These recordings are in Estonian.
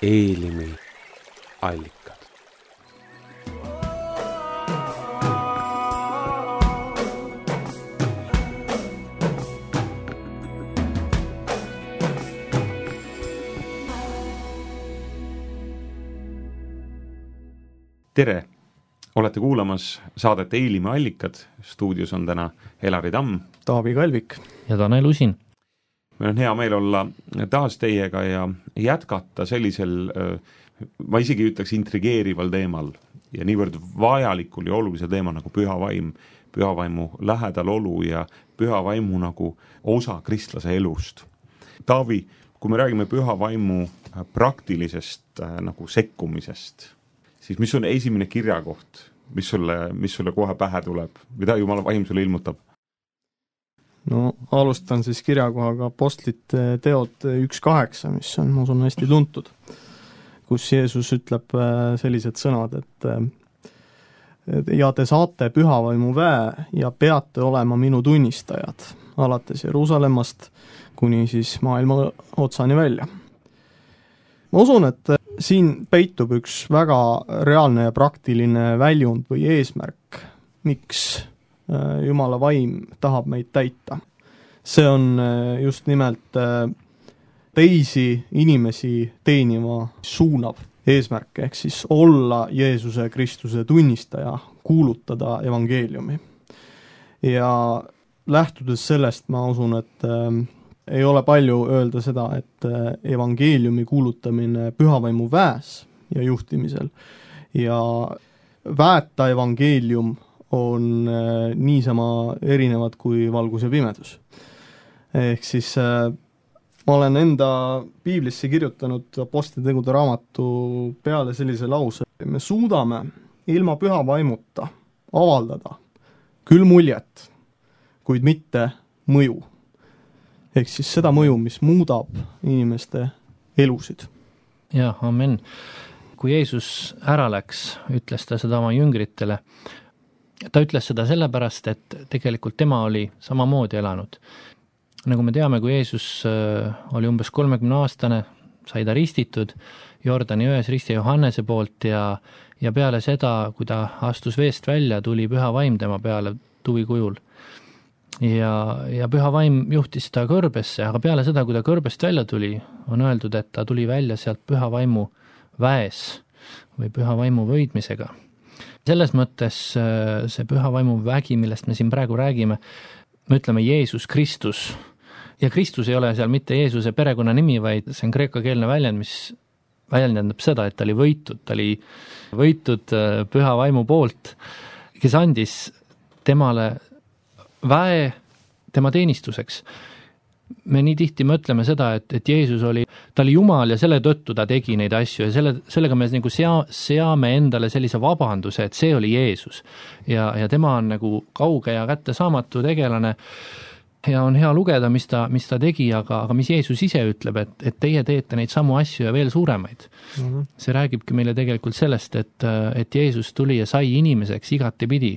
Eelimi allikad. Tere! Olete kuulamas saadet Eelimi allikad. Stuudios on täna Elari Tamm, Taavi Kalvik ja Tanel Usin. Meil on hea meel olla taas teiega ja jätkata sellisel, ma isegi ütleks intrigeerival teemal ja niivõrd vajalikul ja olulisel teemal nagu püha vaim, püha vaimu lähedal olu ja püha vaimu nagu osa kristlase elust. Taavi, kui me räägime püha vaimu praktilisest nagu sekkumisest, siis mis on esimene kirjakoht, mis sulle kohe pähe tuleb? Mida Jumala vaim sulle ilmutab? No alustan siis kirjakohaga Apostlite teod 1.8, mis on, ma usun, hästi tuntud, kus Jeesus ütleb sellised sõnad, et ja te saate pühavaimu väe ja peate olema minu tunnistajad, alates Jeruusalemmast kuni siis maailma otsani välja. Ma usun, et siin peitub üks väga reaalne ja praktiline väljund või eesmärk, miks Jumala vaim tahab meid täita. See on just nimelt teisi inimesi teenima suunav eesmärk, ehk siis olla Jeesuse Kristuse tunnistaja, kuulutada evangeeliumi. Ja lähtudes sellest ma usun, et ei ole palju öelda seda, et evangeeliumi kuulutamine pühavaimu väes ja juhtimisel ja väeta evangeelium on niisama erinevad kui valgus ja pimedus. Ehk siis ma olen enda piiblisse kirjutanud Apostlite tegude raamatu peale sellise lause. Me suudame ilma püha vaimuta avaldada küll muljet, kuid mitte mõju. Ehk siis seda mõju, mis muudab inimeste elusid. Ja, amen. Kui Jeesus ära läks, ütles ta seda oma jüngritele. Ta ütles seda sellepärast, et tegelikult tema oli samamoodi elanud. Nagu me teame, kui Jeesus oli umbes 30-aastane, sai ta ristitud Jordani jões risti Johannese poolt ja peale seda, kui ta astus veest välja, tuli püha vaim tema peale tuvi kujul. Ja püha vaim juhtis ta kõrbesse, aga peale seda, kui ta kõrbest välja tuli, on öeldud, et ta tuli välja sealt püha vaimu väes või püha vaimu võidmisega. Selles mõttes see püha vaimu vägi, millest me siin praegu räägime, me ütleme Jeesus Kristus. Ja Kristus ei ole seal mitte Jeesuse perekonna nimi, vaid see on kreekakeelne väljend, mis väljendab seda, et ta oli võitud püha vaimu poolt, kes andis temale väe tema teenistuseks. Me nii tihti mõtleme seda, et Jeesus ta oli Jumal ja selle tõttu ta tegi neid asju ja sellega me nagu seame endale sellise vabanduse, et see oli Jeesus. Ja tema on nagu kauge ja kättesaamatu tegelane ja on hea lugeda, mis ta tegi, aga mis Jeesus ise ütleb, et teie teete neid samu asju ja veel suuremaid. Mm-hmm. See räägibki meile tegelikult sellest, et Jeesus tuli ja sai inimeseks igati pidi,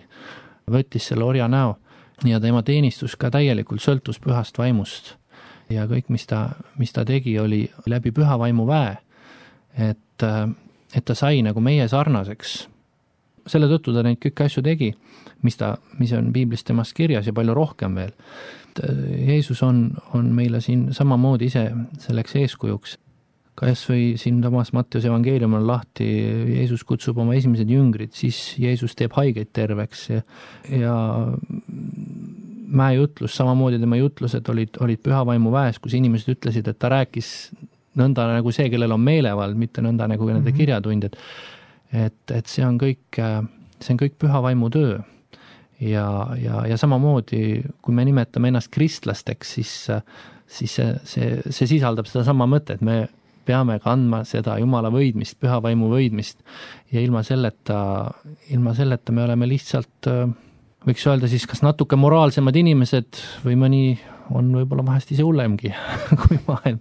võttis selle orja näo ja tema teenistus ka täielikult sõltus pühast vaimust. Ja kõik, mis ta tegi, oli läbi püha vaimu väe, et ta sai nagu meie sarnaseks. Selle tõttu ta neid kõik asju tegi, mis on piiblis temast kirjas ja palju rohkem veel. Jeesus on meile siin samamoodi ise selleks eeskujuks. Kas või siin Tamas Matteuse evangeelium on lahti, Jeesus kutsub oma esimesed jüngrid, siis Jeesus teeb haigeid terveks ja mäejutlus, samamoodi tema jutlused olid püha vaimu väes, kus inimesed ütlesid, et ta rääkis nõnda nagu see, kellel on meelevald, mitte nõnda nagu nende kirjatundjad. Et see on kõik püha vaimu töö. Ja samamoodi, kui me nimetame ennast kristlasteks, siis see sisaldab seda sama mõtet, et me peame kandma seda Jumala võidmist, püha vaimu võidmist ja ilma selleta me oleme lihtsalt, võiks öelda siis kas natuke moraalsemad inimesed või mõni on võib-olla vahest ise hullemgi kui maailm.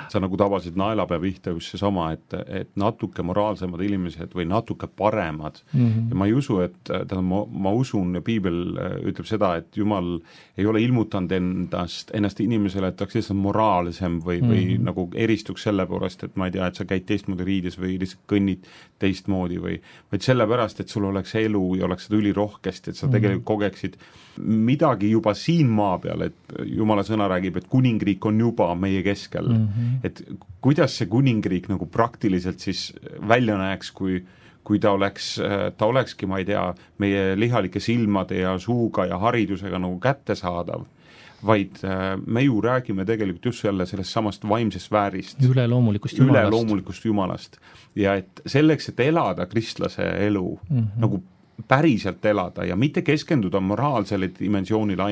sa nagu tabasid naelapea pihta just seesama, et natuke moraalsemad inimesed või natuke paremad ja ma ei usu, et ma usun ja piibel ütleb seda, et Jumal ei ole ilmutanud ennast inimesele, et ta oleks lihtsalt moraalsem või nagu eristuks selle poolest, et ma ei tea, et sa käid teistmoodi riides või lihtsalt kõnnid teistmoodi vaid sellepärast, et sul oleks elu ja oleks seda ülirohkesti, et sa tegelikult kogeksid midagi juba siin maa peal, et Jumala sõna räägib, et kuningriik on juba meie keskel. Et kuidas see kuningriik nagu praktiliselt siis välja näeks, kui ta olekski, ma ei tea, meie lihalike silmade ja suuga ja haridusega nagu kättesaadav, vaid me ju räägime tegelikult just sellest samast vaimsest väärist. Üleloomulikust Jumalast. Ja et selleks, et elada kristlase elu, nagu päriselt elada ja mitte keskenduda moraalsele dimensioonile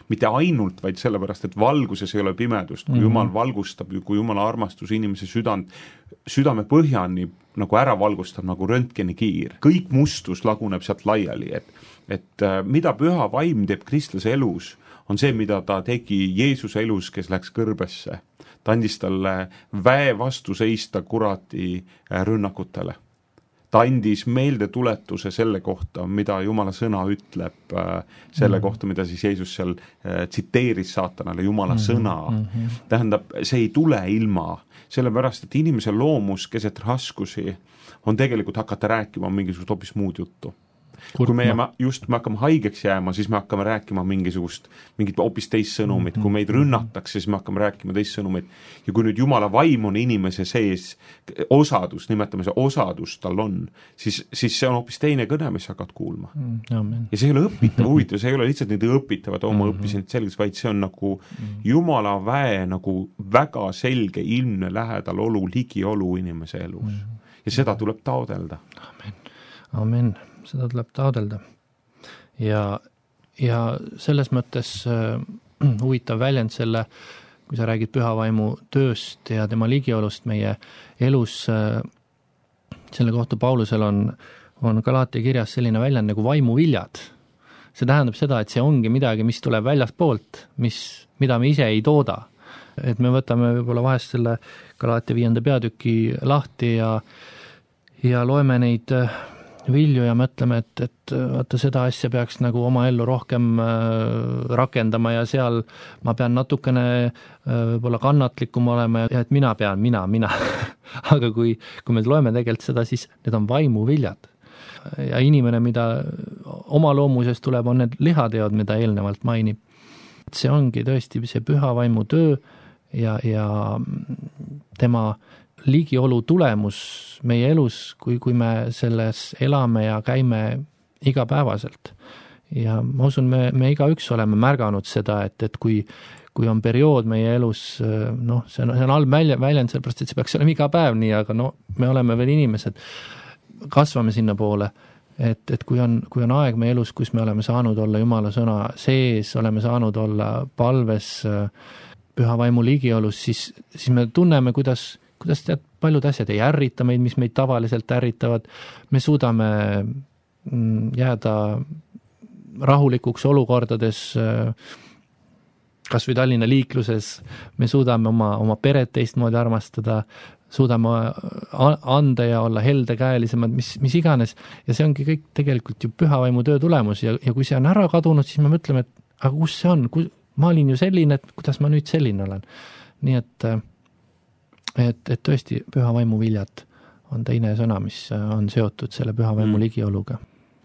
mitte ainult, vaid sellepärast, et valguses ei ole pimedust, kui Jumal valgustab, kui Jumala armastus inimese südame põhjani nagu ära valgustab nagu röntgenikiir. Kõik mustus laguneb sealt laiali, et mida püha vaim teeb kristlase elus, on see, mida ta tegi Jeesuse elus, kes läks kõrbesse. Ta andis talle väe vastu seista kurati rünnakutele. Ta andis meeldetuletuse selle kohta, mida Jumala sõna ütleb, selle kohta, mida siis Jeesus seal tsiteeris saatanale, Jumala sõna. Tähendab, see ei tule ilma, sellepärast, et inimese loomus keset raskusi on tegelikult hakata rääkima mingisugust hoopis muud juttu. Kui me hakkame haigeks jääma, siis me hakkame rääkima mingit hoopis teist sõnumit. Kui meid rünnatakse, siis me hakkame rääkima teist sõnumit. Ja kui nüüd Jumala vaim on inimese sees, osadus, nimetame see osadus tal on, siis see on hoopis teine kõne, mis hakkad kuulma. Ja see ei ole õpitav, huvitav, see ei ole lihtsalt nüüd õpitavad, ma õppisin selgeks, vaid see on nagu Jumala väe nagu väga selge, ilmne lähedal olu, ligiolu inimese elus. Ja seda tuleb taodelda. Amen. Seda tuleb taodelda. Ja selles mõttes huvitav väljend selle, kui sa räägid pühavaimu tööst ja tema ligiolust meie elus, selle kohta Paulusel on Galaatia kirjas selline väljend nagu vaimuviljad. See tähendab seda, et see ongi midagi, mis tuleb väljaspoolt, mida me ise ei tooda. Et me võtame võib-olla vahest selle Galaatia 5. peatüki lahti ja loeme neid vilju ja mõtleme, et vaata seda asja peaks nagu oma ellu rohkem rakendama ja seal ma pean natukene võib-olla kannatlikum olema ja et mina pean. Aga kui me loeme tegelikult seda, siis need on vaimuviljad. Ja inimene, mida oma loomuses tuleb, on need lihateod, mida eelnevalt mainib. See ongi tõesti see püha vaimu töö ja tema ligiolu tulemus meie elus, kui me selles elame ja käime igapäevaselt. Ja ma usun, me igaüks oleme märganud seda, et kui on periood meie elus, see on halb väljend, sellepärast, et see peaks olema iga päev nii, aga me oleme veel inimesed, kasvame sinna poole, et kui on aeg meie elus, kus me oleme saanud olla Jumala sõna sees, oleme saanud olla palves püha vaimu ligiolus, siis me tunneme, kuidas paljud asjad ei ärrita meid, mis meid tavaliselt ärritavad. Me suudame jääda rahulikuks olukordades, kas või Tallinna liikluses, me suudame oma peret teistmoodi armastada, suudame anda ja olla heldekäelisemad, mis iganes. Ja see ongi kõik tegelikult ju püha vaimu töö tulemus ja kui see on ära kadunud, siis me mõtleme, et aga kus see on? Ma olin ju selline, et kuidas ma nüüd selline olen. Nii et tõesti püha vaimu viljad on teine sõna, mis on seotud selle püha vaimu ligioluga.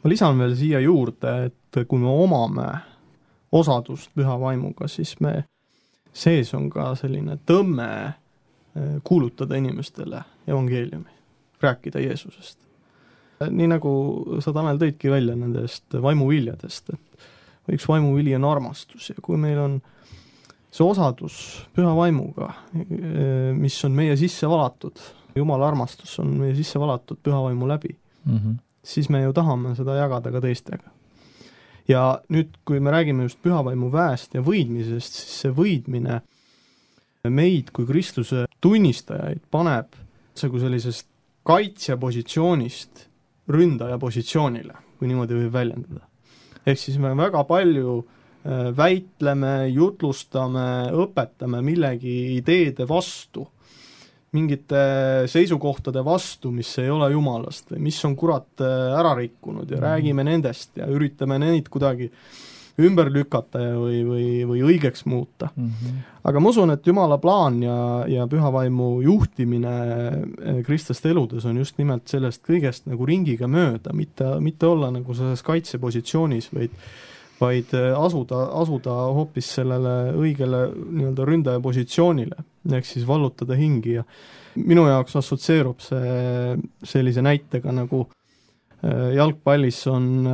Ma lisan veel siia juurde, et kui me omame osadust püha vaimuga, siis me sees on ka selline tõmme kuulutada inimestele evangeeliumi, rääkida Jeesusest. Nii nagu sa, Tanel, tõidki välja nendest vaimuviljadest, et üks vaimuvili on armastus ja kui meil on see osadus püha vaimuga, mis on meie sisse valatud, Jumala armastus on meie sisse valatud püha vaimu läbi, siis me ju tahame seda jagada ka teistega. Ja nüüd, kui me räägime just püha vaimu väest ja võidmisest, siis see võidmine meid kui Kristuse tunnistajaid paneb kui sellisest kaitsjapositsioonist ründaja positsioonile, kui niimoodi võib väljendada. Ehk siis me väga palju väitleme, jutlustame, õpetame millegi ideede vastu mingite seisukohtade vastu, mis ei ole jumalast või mis on kurat ära rikkunud ja räägime nendest ja üritame neid kuidagi ümber lükata või õigeks muuta. Aga ma usun, et Jumala plaan ja pühavaimu juhtimine kristlaste eludes on just nimelt sellest kõigest nagu ringiga mööda, mitte olla nagu selles kaitsepositsioonis, vaid asuda hoopis sellele õigele nii-öelda ründaja positsioonile, ehk siis vallutada hingi ja minu jaoks assotsieerub see sellise näitega nagu jalgpallis on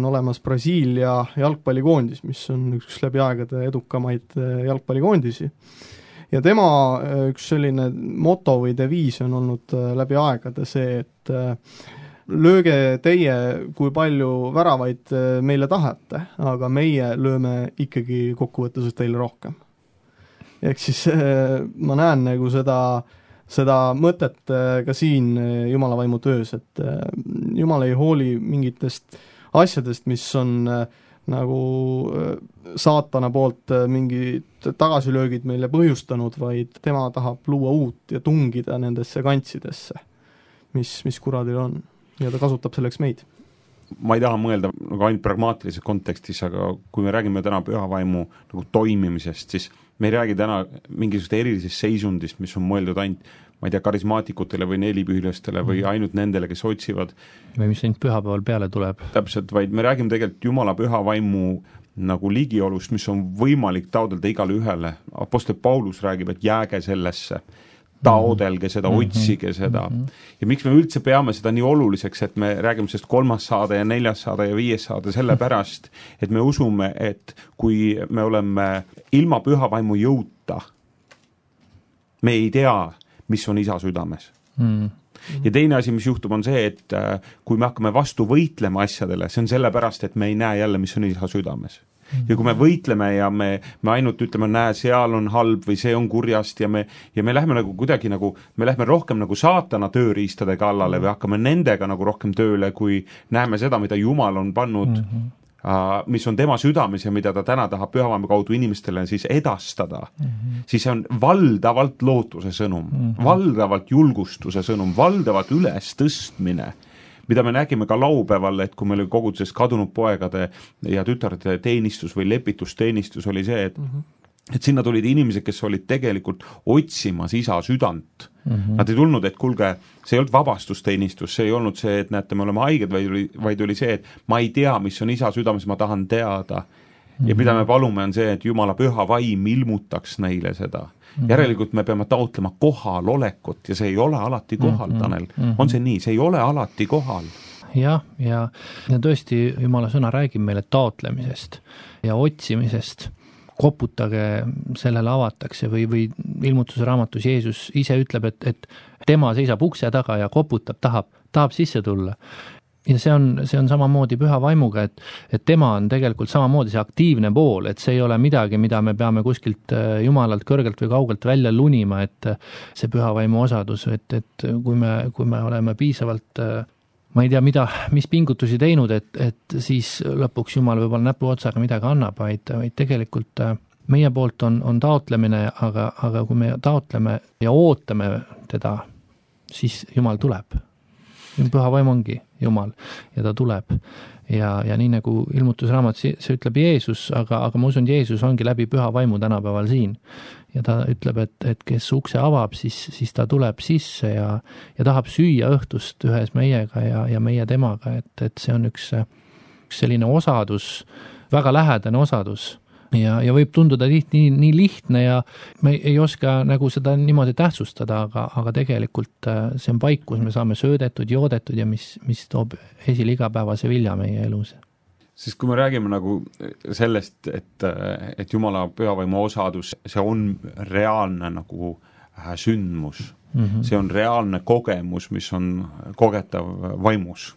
olemas Brasiilia jalgpallikoondis, mis on üks läbi aegade edukamaid jalgpallikoondisi. Ja tema üks selline moto või deviis on olnud läbi aegade see, et lööge teie, kui palju väravaid meile tahate, aga meie lööme ikkagi kokkuvõttes teile rohkem. Ehk siis ma näen nagu seda mõtet ka siin Jumala vaimu töös, et Jumal ei hooli mingitest asjadest, mis on nagu saatana poolt mingid tagasilöögid meile põhjustanud, vaid tema tahab luua uut ja tungida nendesse kantsidesse, mis kuradil on. Ja ta kasutab selleks meid. Ma ei taha mõelda nagu ainult pragmaatilises kontekstis, aga kui me räägime täna pühavaimu nagu toimimisest, siis me ei räägi täna mingisugust erilisest seisundist, mis on mõeldud ainult, ma ei tea, karismaatikutele või nelipühilastele või ainult nendele, kes otsivad. Või mis ainult pühapäeval peale tuleb. Täpselt, vaid me räägime tegelikult Jumala pühavaimu nagu ligiolust, mis on võimalik taodelda igale ühele. Apostel Paulus räägib, et jääge sellesse. Taodelge seda, otsige seda. Ja miks me üldse peame seda nii oluliseks, et me räägime sellest 3. saade ja 4. saade ja 5. saade selle pärast, et me usume, et kui me oleme ilma pühavaimu jõuta, me ei tea, mis on isa südames. Ja teine asi, mis juhtub, on see, et kui me hakkame vastu võitlema asjadele, see on sellepärast, et me ei näe jälle, mis on isa südames. Ja kui me võitleme ja me ainult ütleme, näe, seal on halb või see on kurjast ja me lähme nagu kuidagi nagu, me lähme rohkem nagu saatana tööriistade kallale või hakkame nendega nagu rohkem tööle, kui näeme seda, mida Jumal on pannud, mis on tema südames ja mida ta täna tahab pühavaimu kaudu inimestele siis edastada, siis see on valdavalt lootuse sõnum, valdavalt julgustuse sõnum, valdavalt üles tõstmine, mida me nägime ka laupäeval, et kui meil oli koguduses kadunud poegade ja tütarde teenistus või lepitusteenistus oli see, et sinna tulid inimesed, kes olid tegelikult otsimas isa südant. Nad ei tulnud, et kulge, see ei olnud vabastusteenistus, see ei olnud see, et näete, me oleme haiged, vaid oli see, et ma ei tea, mis on isa südames, ma tahan teada. Ja mida me palume on see, et Jumala püha vaim ilmutaks neile seda. Järelikult me peame taotlema kohalolekut ja see ei ole alati kohal, Tanel. On see nii? See ei ole alati kohal. Ja tõesti Jumala sõna räägib meile taotlemisest ja otsimisest. Koputage, sellele avatakse või ilmutuse raamatus Jeesus ise ütleb, et tema seisab ukse taga ja koputab, tahab sisse tulla. Ja see on samamoodi püha vaimuga, et tema on tegelikult samamoodi see aktiivne pool, et see ei ole midagi, mida me peame kuskilt Jumalalt kõrgelt või kaugelt välja lunima, et see püha vaimu osadus, et kui me oleme piisavalt, ma ei tea, mis pingutusi teinud, et siis lõpuks Jumal võib-olla näpuotsaga midagi annab, vaid tegelikult meie poolt on taotlemine, aga kui me taotleme ja ootame teda, siis Jumal tuleb. Püha vaim ongi Jumal ja ta tuleb ja nii nagu ilmutusraamat, see ütleb Jeesus, aga ma usun, Jeesus ongi läbi püha vaimu tänapäeval siin ja ta ütleb, et kes ukse avab, siis ta tuleb sisse ja tahab süüa õhtust ühes meiega ja meie temaga, et see on üks selline osadus, väga lähedane osadus. Ja võib tunduda tihti nii lihtne ja me ei oska nagu seda niimoodi tähtsustada, aga tegelikult see on paik, kus me saame söödetud, joodetud ja mis toob esile igapäevase vilja meie elus. Siis kui me räägime nagu sellest, et Jumala pühavaimu osadus, see on reaalne nagu sündmus, see on reaalne kogemus, mis on kogetav vaimus.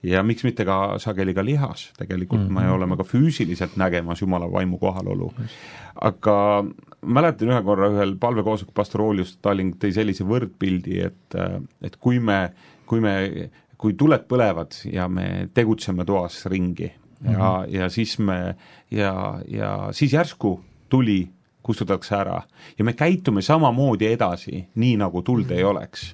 Ja miks mitte ka sageli ka lihas, tegelikult me oleme ka füüsiliselt nägemas Jumala vaimu kohalolu. Aga mäletan ühe korra ühel palvekoosoleku pastor Oolius Talling tõi sellise võrdpildi, et kui tuled põlevad ja me tegutseme toas ringi ja siis siis järsku tuli kustutatakse ära ja me käitume samamoodi edasi, nii nagu tuld ei oleks.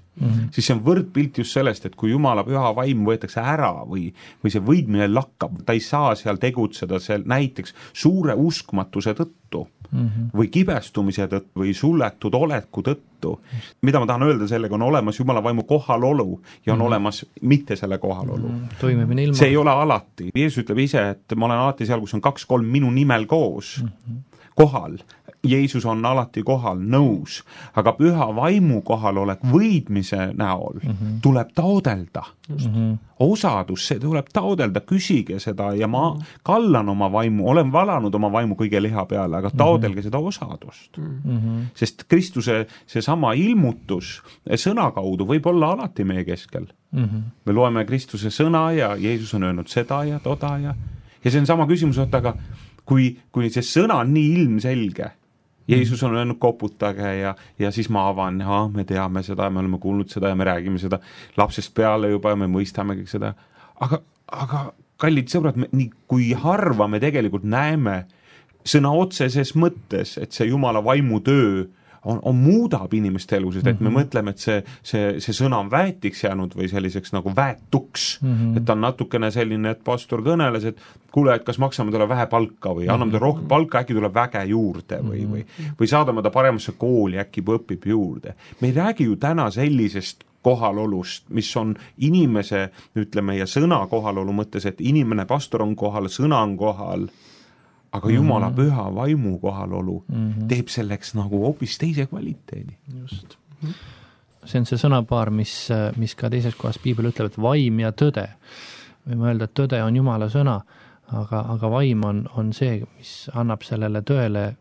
Siis see on võrdpilt just sellest, et kui Jumala püha vaim võetakse ära või see võidmine lakkab, ta ei saa seal tegutseda seal näiteks suure uskmatuse tõttu või kibestumise tõttu või suletud oleku tõttu. Mida ma tahan öelda sellega, on olemas Jumala vaimu kohalolu ja on olemas mitte selle kohalolu. Toimimine ilma. See ei ole alati. Jeesus ütleb ise, et ma olen alati seal, kus on 2-3 minu nimel koos, kohal. Jeesus on alati kohal, nõus, aga püha vaimu kohalolek võidmise näol tuleb taodelda. Osadus, see tuleb taodelda, küsige seda ja ma kallan oma vaimu, olen valanud oma vaimu kõige liha peale, aga taodelge seda osadust. Sest Kristuse see sama ilmutus sõna kaudu võib olla alati meie keskel. Me loeme Kristuse sõna ja Jeesus on öelnud seda ja toda ja see on sama küsimus, aga kui see sõna on nii ilmselge, Jeesus on öelnud koputage ja siis ma avan, me teame seda ja me oleme kuulnud seda ja me räägime seda lapsest peale juba ja me mõistame kõik seda. Aga kallid sõbrad, nii kui harva me tegelikult näeme sõna otseses mõttes, et see Jumala vaimu töö on muudab inimeste elu, sest et me mõtleme, et see sõna on väetiks jäänud või selliseks nagu väetuks, et ta on natukene selline, et pastor kõneles, et kuule, et kas maksame talle vähe palka või anname talle rohkem palka, äkki tuleb väge juurde või saadame ta paremasse kooli, äkki õpib juurde. Me ei räägi ju täna sellisest kohalolust, mis on inimese, ütleme, ja sõna kohalolu mõttes, et inimene, pastor on kohal, sõna on kohal, aga Jumala püha vaimu kohalolu teeb selleks nagu hoopis teise kvaliteedi. Just. See on see sõnapaar, mis ka teises kohas Piibel ütleb, et vaim ja tõde. Võime öelda, et tõde on Jumala sõna, aga vaim on see, mis annab sellele tõele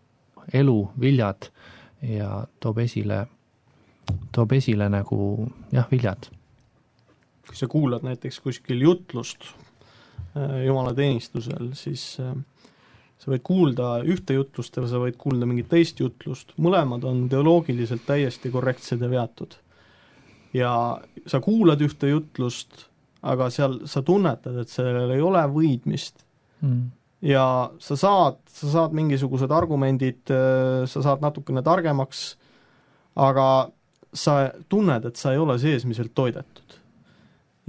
elu, viljad ja toob esile nagu viljad. Kui sa kuulad näiteks kuskil jutlust Jumala teenistusel, siis sa võid kuulda ühte jutlust ja sa võid kuulda mingit teist jutlust. Mõlemad on teoloogiliselt täiesti korrektsed ja veatud. Ja sa kuulad ühte jutlust, aga seal sa tunnetad, et sellel ei ole võidmist. Ja sa saad mingisugused argumendid, sa saad natukene targemaks, aga sa tunned, et sa ei ole seesmiselt toidetud.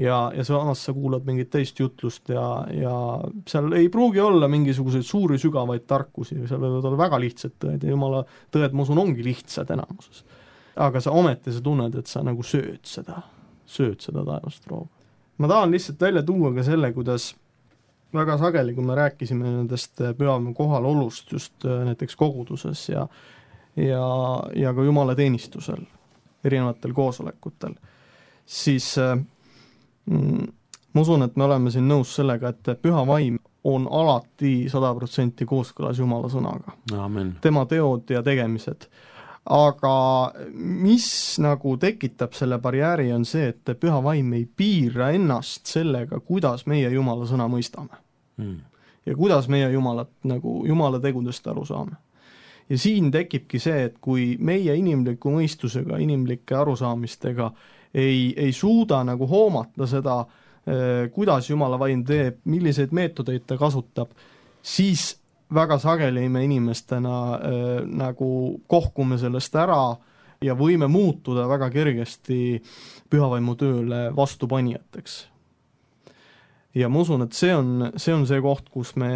Ja samas sa kuulad mingit teist jutlust ja seal ei pruugi olla mingisuguseid suuri sügavaid tarkusi, seal võivad olla väga lihtsad tõed ja Jumala tõed, ma usun, ongi lihtsad enamuses. Aga sa ometi sa tunned, et sa nagu sööd seda taevast rooga. Ma tahan lihtsalt välja tuua ka selle, kuidas väga sageli, kui me rääkisime nendest pühamu kohalolust just näiteks koguduses ja ka Jumala teenistusel, erinevatel koosolekutel, siis ma usun, et me oleme siin nõus sellega, et püha vaim on alati 100% kooskõlas Jumala sõnaga. Amen. Tema teod ja tegemised. Aga mis nagu tekitab selle barjääri on see, et püha vaim ei piira ennast sellega, kuidas meie Jumala sõna mõistame. Ja kuidas meie Jumala tegudest aru saame. Ja siin tekibki see, et kui meie inimliku mõistusega, inimlike arusaamistega ei suuda nagu hoomata seda, kuidas Jumala vaim teeb, milliseid meetodeid ta kasutab, siis väga sageli me inimestena nagu kohkume sellest ära ja võime muutuda väga kergesti pühavaimu tööle vastupanijateks. Ja ma usun, et see on see koht, kus me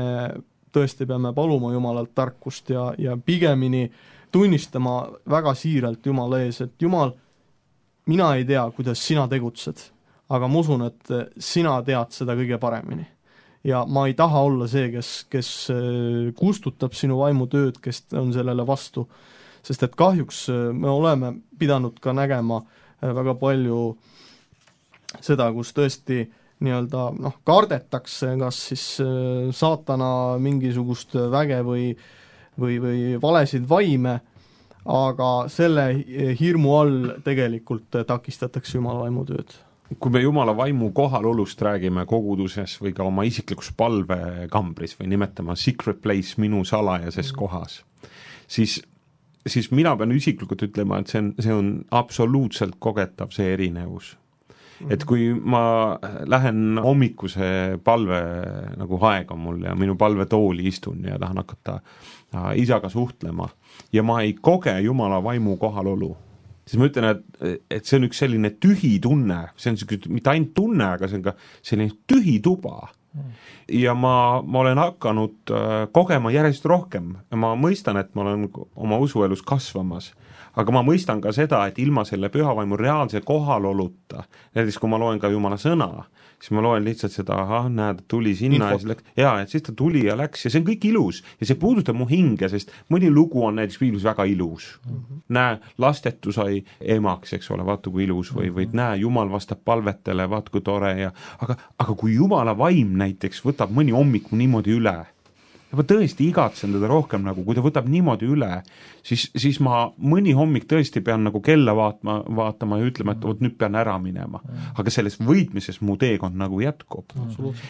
tõesti peame paluma Jumalalt tarkust ja pigemini tunnistama väga siiralt Jumala ees, et Jumal, mina ei tea, kuidas sina tegutsed, aga ma usun, et sina tead seda kõige paremini. Ja ma ei taha olla see, kes kustutab sinu vaimu tööd, kes on sellele vastu, sest et kahjuks me oleme pidanud ka nägema väga palju seda, kus tõesti kardetakse kas siis saatana mingisugust väge või valesid vaime, aga selle hirmu all tegelikult takistatakse Jumala vaimu tööd. Kui me Jumala vaimu kohalolust räägime koguduses või ka oma isiklikus palvekambris või nimetama secret place minu salajases kohas, siis mina pean isiklikult ütlema, et see on absoluutselt kogetav see erinevus. et kui ma lähen hommikuse palve nagu aeg on mul ja minu palvetooli istun ja tahan hakata isaga suhtlema ja ma ei koge Jumala vaimu kohalolu, siis ma ütlen, et see on üks selline tühi tunne, see on mitte ainult tunne, aga see on ka selline tühi tuba. Ja ma olen hakanud kogema järjest rohkem ja ma mõistan, et ma olen oma usuelus kasvamas, aga ma mõistan ka seda, et ilma selle pühavaimu reaalse kohaloluta, näiteks kui ma loen ka Jumala sõna, siis ma loen lihtsalt seda, näed, tuli sinna ja siis läks, et siis ta tuli ja läks ja see on kõik ilus ja see puudutab mu hinge, sest mõni lugu on näiteks piiblus väga ilus. Näe, lastetu sai emaks, eks ole, vaata kui ilus või näe, Jumal vastab palvetele, vaata kui tore aga kui Jumala vaim näiteks võtab mõni hommiku niimoodi üle ja ma tõesti igatsen teda rohkem nagu, kui ta võtab niimoodi üle, siis ma mõni hommik tõesti pean nagu kella vaatama ja ütlema, et nüüd pean ära minema. Aga selles võitmises mu teekond nagu jätkub.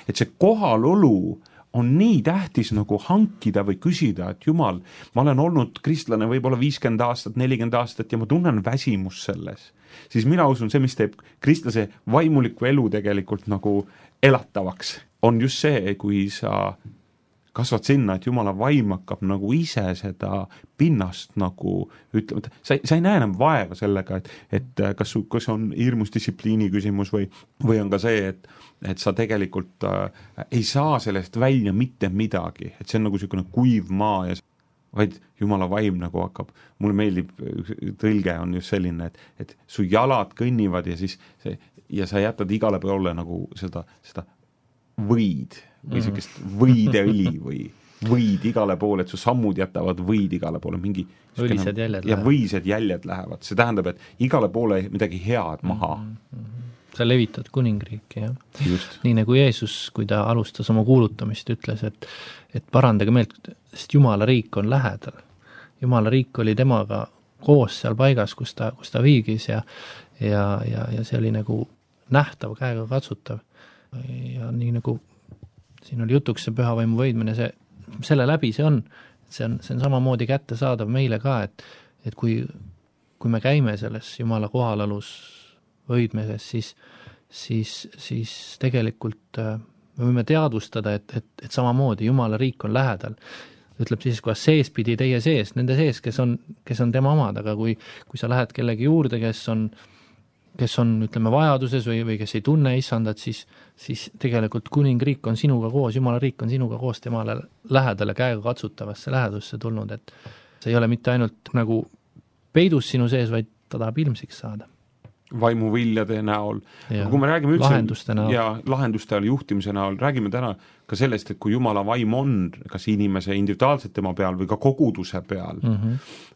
Et see kohalolu on nii tähtis nagu hankida või küsida, et Jumal, ma olen olnud kristlane võib-olla 50 aastat, 40 aastat ja ma tunnen väsimus selles. Siis mina usun, see, mis teeb kristlase vaimuliku elu tegelikult nagu elatavaks, on just see, kui sa kasvad sinna, et Jumala vaim hakkab nagu ise seda pinnast nagu ütlema, sa ei näe enam vaeva sellega, et kas on hirmus distsipliini küsimus või on ka see, et sa tegelikult ei saa sellest välja mitte midagi, et see on nagu selline kuiv maa ja vaid Jumala vaim nagu hakkab, mulle meeldib, tõlge on just selline, et su jalad kõnnivad ja sa jätad igale poole nagu seda võid või sellist võideõli või võid igale poole, et su sammud jätavad võid igale poole, mingi võised jäljed ja võised jäljed lähevad, see tähendab, et igale poole midagi head maha. Sa levitad kuningriiki, jah. Nii nagu Jeesus, kui ta alustas oma kuulutamist, ütles, et parandage meelt, sest Jumala riik on lähedal. Jumala riik oli temaga koos seal paigas, kus ta viigis ja see oli nagu nähtav, käega katsutav. Ja nii nagu siin oli jutuks see pühavaimu võidmine, selle läbi see on samamoodi kättesaadav meile ka, et kui me käime selles Jumala kohalolus võidmises, siis tegelikult me võime teadvustada, et samamoodi Jumala riik on lähedal. Ütleb siis, kuidas seespidi teie sees, nende sees, kes on tema omad, aga kui sa lähed kellegi juurde, kes on, ütleme, vajaduses või kes ei tunne issandat, siis tegelikult kuningriik on sinuga koos, Jumala riik on sinuga koos temale lähedale käega katsutavasse lähedusse tulnud, et see ei ole mitte ainult nagu peidus sinu sees, vaid ta tahab ilmsiks saada. Vaimuviljade näol. Kui me räägime lahenduste näol. Ja lahenduste juhtimise näol, räägime täna ka sellest, et kui Jumala vaim on kas inimese individuaalselt tema peal või ka koguduse peal,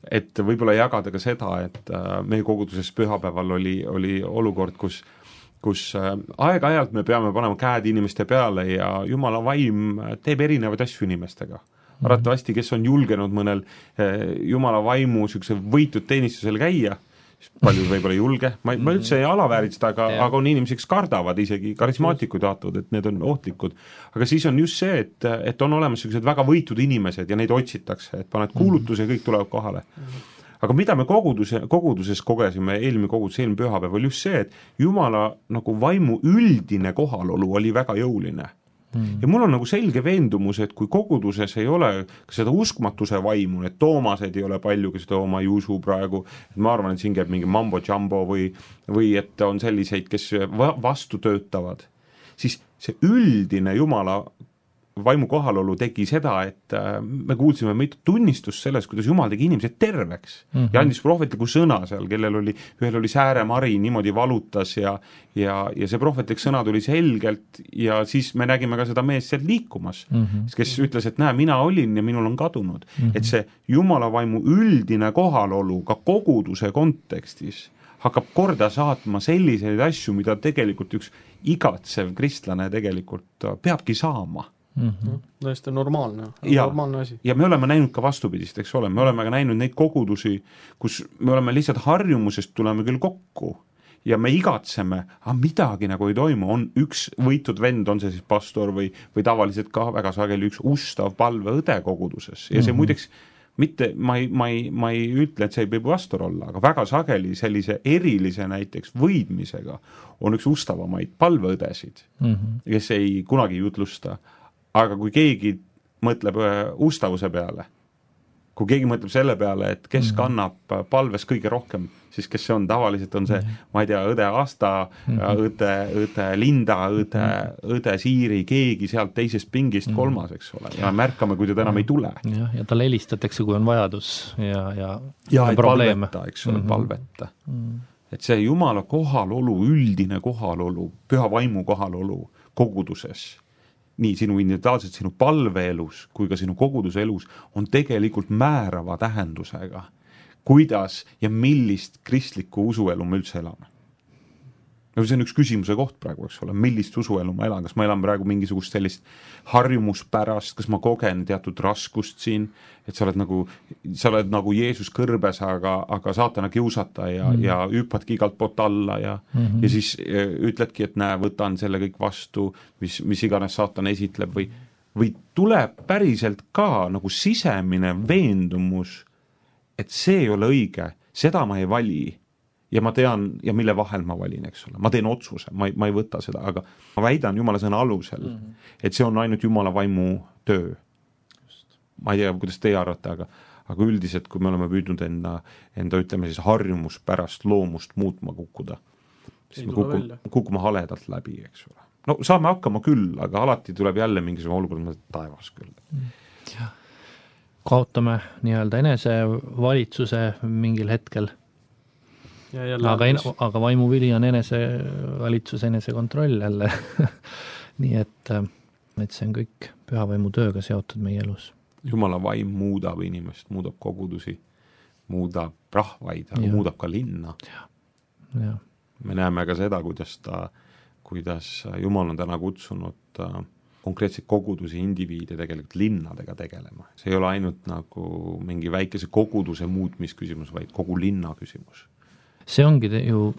et võib-olla jagada ka seda, et meie koguduses pühapäeval oli olukord, kus aeg-ajalt me peame panema käed inimeste peale ja Jumala vaim teeb erinevaid asju inimestega. Arvatavasti, kes on julgenud mõnel Jumala vaimu võitud teenistusel käia, paljud võib-olla julge, ma üldse ei alavääritseda, aga on inimesi, kes kardavad, isegi karismaatikud jaatavad, et need on ohtlikud. Aga siis on just see, et on olemas sellised väga võitud inimesed ja neid otsitakse, et paned kuulutuse ja kõik tulevad kohale. Aga mida me koguduses kogesime, eelmine pühapäev, oli just see, et Jumala nagu vaimu üldine kohalolu oli väga jõuline. Ja mul on nagu selge veendumus, et kui koguduses ei ole seda uskmatuse vaimu, et Toomased ei ole palju, kes ma ei usu praegu, et ma arvan, et siin käib mingi mambo-jumbo või et on selliseid, kes vastu töötavad, siis see üldine Jumala vaimu kohalolu tegi seda, et me kuulsime mitu tunnistust sellest, kuidas Jumal tegi inimesed terveks ja andis prohvetliku sõna seal, ühel oli sääremari, niimoodi valutas ja see prohvetlik sõna tuli selgelt ja siis me nägime ka seda meest sealt liikumas, kes ütles, et näe, mina olin ja minul on kadunud. Et see Jumala vaimu üldine kohalolu ka koguduse kontekstis hakkab korda saatma selliseid asju, mida tegelikult üks igatsev kristlane tegelikult peabki saama. Tõesti normaalne asi. Ja me oleme näinud ka vastupidist, eks ole, me oleme ka näinud neid kogudusi, kus me oleme lihtsalt harjumusest tuleme küll kokku ja me igatseme, aga midagi nagu ei toimu, on üks võitud vend, on see siis pastor või tavaliselt ka väga sageli üks ustav palveõde koguduses ja see muideks mitte, ma ei ütle, et see ei või vastur olla, aga väga sageli sellise erilise näiteks võidmisega on üks ustavamaid palveõdesid, kes ei kunagi jutlusta. Aga kui keegi mõtleb ustavuse peale, kui keegi mõtleb selle peale, et kes kannab palves kõige rohkem, siis kes see on, tavaliselt on see, ma ei tea, õde Asta, õde Linda, õde Siiri, keegi sealt teisest pingist kolmas, eks ole, ja märkame, kui teda enam ei tule. Ja talle helistatakse, kui on vajadus ja et palveta, eks ole, palveta. Et see Jumala kohalolu, üldine kohalolu, püha vaimu kohalolu koguduses, nii sinu individuaalselt, sinu palveelus kui ka sinu koguduse elus on tegelikult määrava tähendusega, kuidas ja millist kristlikku usuelu me üldse elame. See on üks küsimuse koht praegu, eks ole, millist usuelu ma elan, kas ma elan praegu mingisugust sellist harjumuspärast, kas ma kogen teatud raskust siin, et sa oled nagu Jeesus kõrbes, aga saatana kiusata ja hüppadki igalt poolt alla ja siis ütledki, et näe, võtan selle kõik vastu, mis iganes saatana esitleb või tuleb päriselt ka nagu sisemine veendumus, et see ei ole õige, seda ma ei vali ja ma tean, ja mille vahel ma valin, eks ole. Ma teen otsuse, ma ei võta seda, aga ma väidan Jumala sõna alusel, et see on ainult Jumala vaimu töö. Ma ei tea, kuidas teie arvate, aga üldiselt, kui me oleme püüdnud enda ütleme siis harjumus pärast loomust muutma kukkuda, siis me kukume haledalt läbi, eks ole. No saame hakkama küll, aga alati tuleb jälle mingisugune olukord taevas küll. Ja. Kaotame nii-öelda enesevalitsuse mingil hetkel. Aga vaimuvili on enesevalitsus, enesekontroll jälle. Nii et see on kõik pühavaimu tööga seotud meie elus. Jumala vaim muudab inimest, muudab kogudusi, muudab rahvaid, aga muudab ka linna. Ja. Me näeme ka seda, kuidas Jumal on täna kutsunud konkreetseid kogudusi, indiviide tegelikult linnadega tegelema. See ei ole ainult nagu mingi väikese koguduse muutmisküsimus, vaid kogu linna küsimus. See ongi ju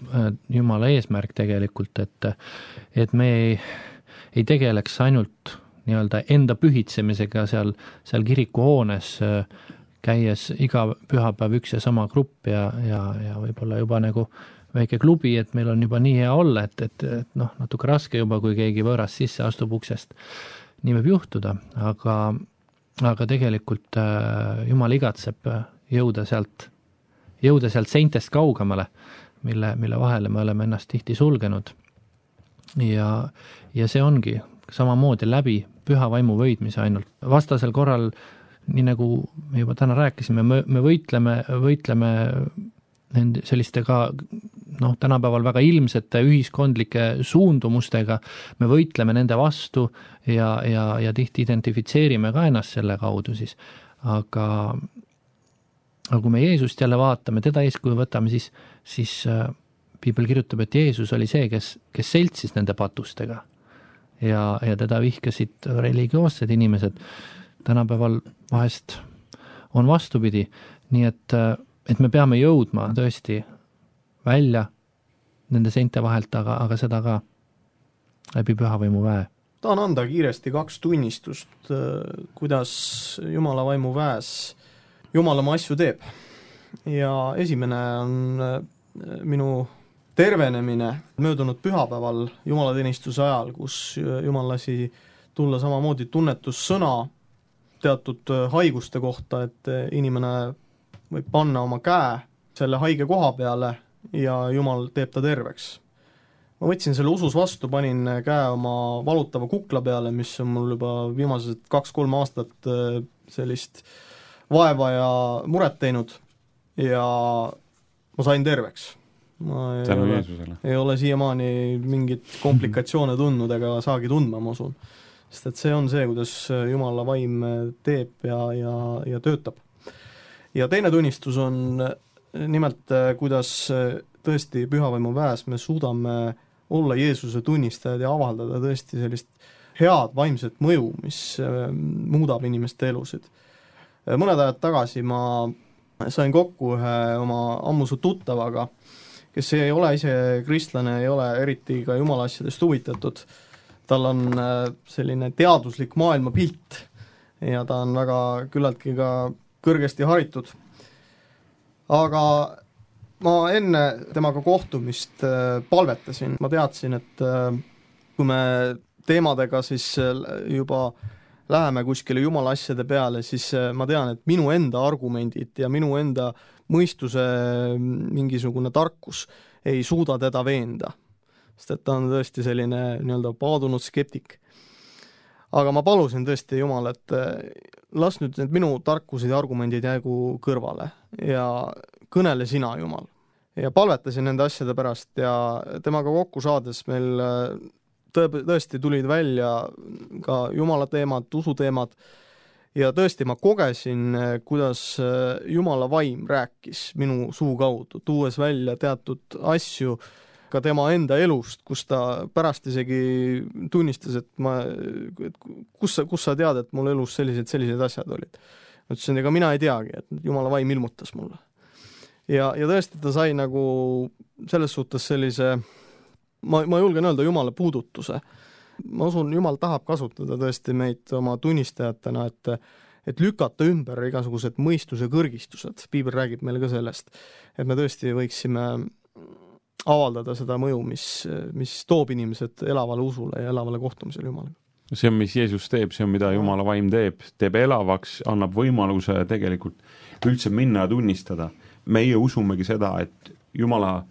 Jumala eesmärk tegelikult, et me ei tegeleks ainult nii-öelda enda pühitsemisega seal kirikuhoones, käies iga pühapäev üks ja sama grupp ja võib-olla juba nagu väike klubi, et meil on juba nii hea olla, et natuke raske juba, kui keegi võõras sisse astub uksest. Nii võib juhtuda, aga tegelikult Jumal igatseb jõuda sealt seintest kaugemale, mille vahele me oleme ennast tihti sulgenud. Ja see ongi samamoodi läbi püha vaimu võidmise ainult. Vastasel korral, nii nagu me juba täna rääkisime, me võitleme selliste ka tänapäeval väga ilmsete ühiskondlike suundumustega, me võitleme nende vastu ja tihti identifitseerime ka ennast selle kaudu siis. Aga kui me Jeesust jälle vaatame, teda eeskuju võtame, siis Piibel kirjutab, et Jeesus oli see, kes seltsis nende patustega ja teda vihkasid religioossed inimesed. Tänapäeval vahest on vastupidi, nii et me peame jõudma tõesti välja nende seinte vahelt, aga seda ka läbi pühavaimu väe. Tahan anda kiiresti 2 tunnistust, kuidas Jumala vaimu väes Jumal oma asju teeb. Ja esimene on minu tervenemine möödunud pühapäeval jumalateenistuse ajal, kus Jumal lasi tulla samamoodi tunnetussõna teatud haiguste kohta, et inimene võib panna oma käe selle haige koha peale ja Jumal teeb ta terveks. Ma võtsin selle usus vastu, panin käe oma valutava kukla peale, mis on mul juba viimased 2-3 aastat sellist vaeva ja muret teinud ja ma sain terveks. Ma ei ole siiamaani mingit komplikatsioone tundnud ega saagi tundma, ma usun. Sest et see on see, kuidas Jumala vaim teeb ja töötab. Ja teine tunnistus on nimelt, kuidas tõesti pühavaimu väes me suudame olla Jeesuse tunnistajad ja avaldada tõesti sellist head vaimset mõju, mis muudab inimeste elusid. Mõned ajad tagasi ma sain kokku ühe oma ammusu tuttavaga, kes ei ole ise kristlane, ei ole eriti ka Jumala asjadest huvitatud. Tal on selline teaduslik maailmapilt ja ta on väga küllaltki ka kõrgesti haritud. Aga ma enne temaga kohtumist palvetasin, ma teadsin, et kui me teemadega siis juba läheme kuskile jumala asjade peale, siis ma tean, et minu enda argumendid ja minu enda mõistuse mingisugune tarkus ei suuda teda veenda, sest et ta on tõesti selline nii-öelda paadunud skeptik. Aga ma palusin tõesti Jumal, et las nüüd need minu tarkused ja argumendid jäägu kõrvale ja kõnele sina, Jumal. Ja palvetasin nende asjade pärast ja temaga kokku saades meil tõesti tulid välja ka Jumala teemad, usu teemad ja tõesti ma kogesin, kuidas Jumala vaim rääkis minu suu kaudu, tuues välja teatud asju ka tema enda elust, kus ta pärast isegi tunnistas, et kus sa tead, et mul elus sellised asjad olid. Ütlesin, ega mina ei teagi, et Jumala vaim ilmutas mulle. Ja tõesti ta sai nagu selles suhtes sellise, ma julgen öelda Jumala puudutuse. Ma usun, Jumal tahab kasutada tõesti meid oma tunnistajatena, et lükata ümber igasugused mõistuse kõrgistused. Piibel räägib meile ka sellest, et me tõesti võiksime avaldada seda mõju, mis toob inimesed elavale usule ja elavale kohtumisele Jumalaga. See on, mis Jeesus teeb, see on, mida Jumala vaim teeb elavaks, annab võimaluse tegelikult üldse minna ja tunnistada. Meie usumegi seda, et Jumala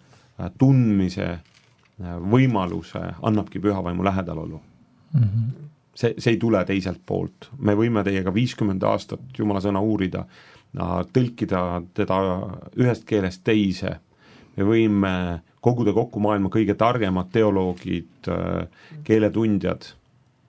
tundmise võimaluse annabki pühavaimu lähedalolu. See ei tule teiselt poolt. Me võime teiega 50 aastat Jumala sõna uurida, tõlkida teda ühest keelest teise. Me võime koguda kokku maailma kõige targemad teoloogid, keeletundjad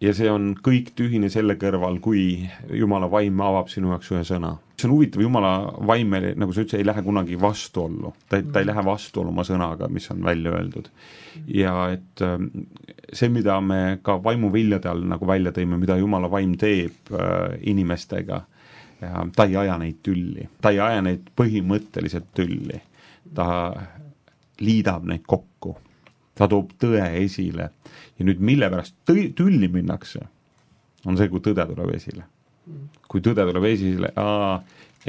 ja see on kõik tühine selle kõrval, kui Jumala vaim avab sinu jaoks ühe sõna. See on huvitav, Jumala vaim, nagu sa ütlesid, ei lähe kunagi vastuollu. Ta ei lähe vastuollu oma sõnaga, mis on välja öeldud. Ja et see, mida me ka vaimuviljade all nagu välja tõime, mida Jumala vaim teeb inimestega, ta ei aja neid tülli. Ta ei aja neid põhimõtteliselt tülli. Ta liidab neid kokku, ta toob tõe esile ja nüüd mille pärast tülli minnakse, on see, kui tõde tuleb esile. Kui tõde tuleb esile,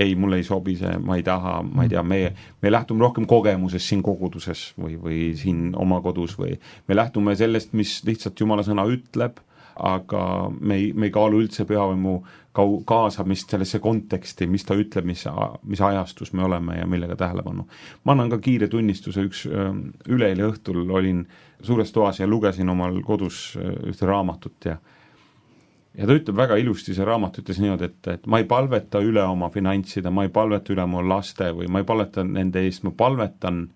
ei, mulle ei sobi see, ma ei taha, ma ei tea, me lähtume rohkem kogemuses siin koguduses või siin oma kodus või me lähtume sellest, mis lihtsalt Jumala sõna ütleb, aga me ei kaalu üldse pühavaimu kaasamist sellesse konteksti, mis ta ütleb, mis ajastus me oleme ja millega tähelepanu. Ma annan ka kiire tunnistuse, üleeile õhtul olin suures toas ja lugesin omal kodus ühte raamatut ja ta ütleb väga ilusti, see raamat ütles niimoodi, et ma ei palveta üle oma finantside, ma ei palveta üle oma laste või ma ei palveta nende eest, ma palvetan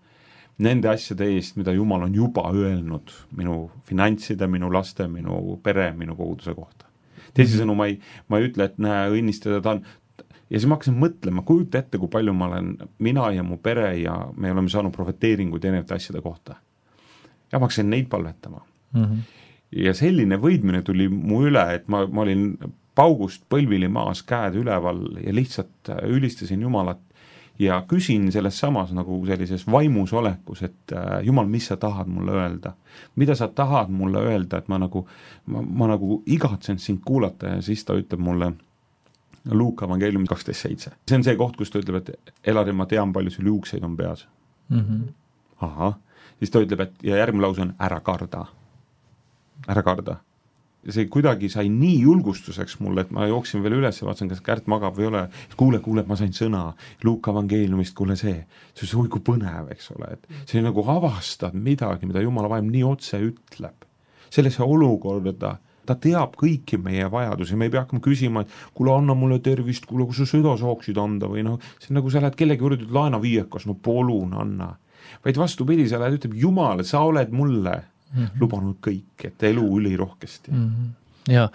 nende asjade eest, mida Jumal on juba öelnud minu finantside, minu laste, minu pere, minu koguduse kohta. Teisisõnu, ma ei ütle, et näe, õnnistada ta on. Ja siis ma hakkasin mõtlema, kujuta ette, kui palju mina ja mu pere ja me oleme saanud profeteeringuid erinevate asjade kohta. Ja ma hakkasin neid palvetama. Ja selline võidmine tuli mu üle, et ma olin paugust põlvili maas, käed üleval ja lihtsalt ülistasin Jumalat ja küsin selles samas nagu sellises vaimus olekus, et Jumal, mis sa tahad mulle öelda? Mida sa tahad mulle öelda, et ma nagu igatsen sind kuulata ja siis ta ütleb mulle Luuka evangeeliumi 12.7. See on see koht, kus ta ütleb, et Elari, ma tean, palju sul juukseid on peas. Aha. Siis ta ütleb, et ja järgmine lause on ära karda. Ära karda. See kuidagi sai nii julgustuseks mulle, et ma jooksin veel üles ja vaatasin, kas Kärt magab või ole. Kuule, ma sain sõna Luuka evangeeliumist, kuule see. See on kui põnev, eks ole. Et see nagu avastad midagi, mida Jumala vaim nii otse ütleb. Sellesse olukorda ta teab kõiki meie vajadusi. Me ei pea hakkama küsima, et kuule, anna mulle tervist, kuule, kui sa sõda saaksid anda või see on nagu sa lähed kellegi juurde, laena viiekas, polun anna. Vaid vastupidi, sa lähed, ütleb Jumal, sa oled mulle lubanud kõik, et elu ülirohkesti. Ja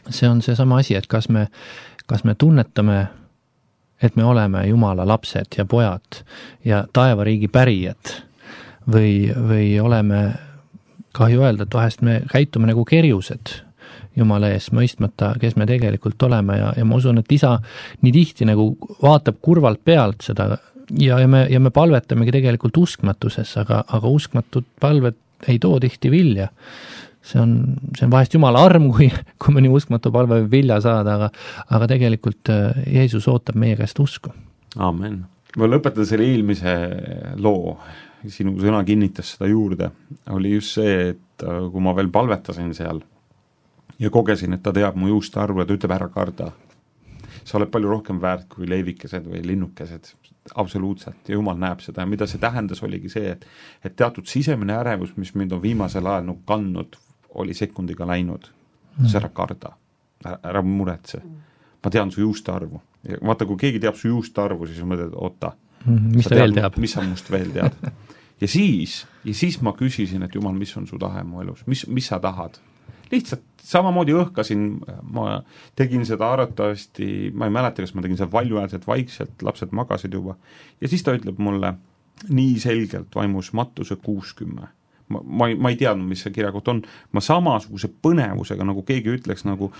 see on see sama asi, et kas me tunnetame, et me oleme Jumala lapsed ja pojad ja taevariigi pärijad või oleme, kahju öelda, et vahest me käitume nagu kerjused Jumala ees, mõistmata, kes me tegelikult oleme ja ma usun, et isa nii tihti nagu vaatab kurvalt pealt seda ja me palvetamegi tegelikult uskmatuses, aga uskmatud palved ei too tihti vilja, see on vahest Jumala arm, kui mõni uskmatu palve võib vilja saada, aga tegelikult Jeesus ootab meie käest usku. Amen. Ma lõpetan selle eelmise loo, sinu sõna kinnitas seda juurde, oli just see, et kui ma veel palvetasin seal ja kogesin, et ta teab mu juuste arvu ja ta ütleb ära karda. Sa oled palju rohkem väärt kui leivikesed või linnukesed, absoluutselt, ja Jumal näeb seda ja mida see tähendas, oligi see, et teatud sisemine ärevus, mis mind on viimasel ajal nagu kandnud, oli sekundiga läinud, see ära karda, ära muretse. Ma tean su juuste arvu. Ja vaata, kui keegi teab su juuste arvu, siis mõtled, oota, mis ta veel teab? Mis sa must veel tead? ja siis ma küsisin, et Jumal, mis on su tahe mu elus? Mis sa tahad? Lihtsalt samamoodi õhkasin, ma tegin seda arvatavasti, ma ei mäleta, kas ma tegin seda valjuäärselt vaikselt, lapsed magasid juba. Ja siis ta ütleb mulle nii selgelt vaimus Mattuse 60. Ma ei teadnud, mis see kirjakott on, ma samasuguse põnevusega, nagu keegi ütleks, nagu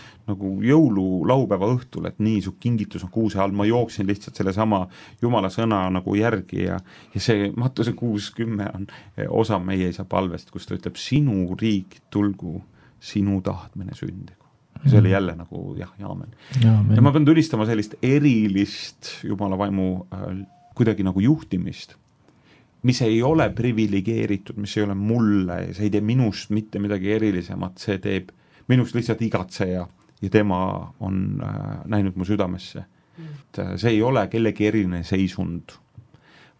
jõululaupäeva õhtul, et nii, su kingitus on kuuse all, ma jooksin lihtsalt selle sama Jumala sõna nagu järgi ja see Mattuse 60 on osa meie isa palvest, kus ta ütleb, sinu riik tulgu, sinu tahtmine sündigu. Ja see oli jälle nagu jah, aamen. Ja ma pean tulistama sellist erilist Jumala vaimu kuidagi nagu juhtimist, mis ei ole privilegeeritud, mis ei ole mulle, see ei tee minust mitte midagi erilisemat, see teeb minust lihtsalt igatseja ja tema on näinud mu südamesse. See ei ole kellegi eriline seisund,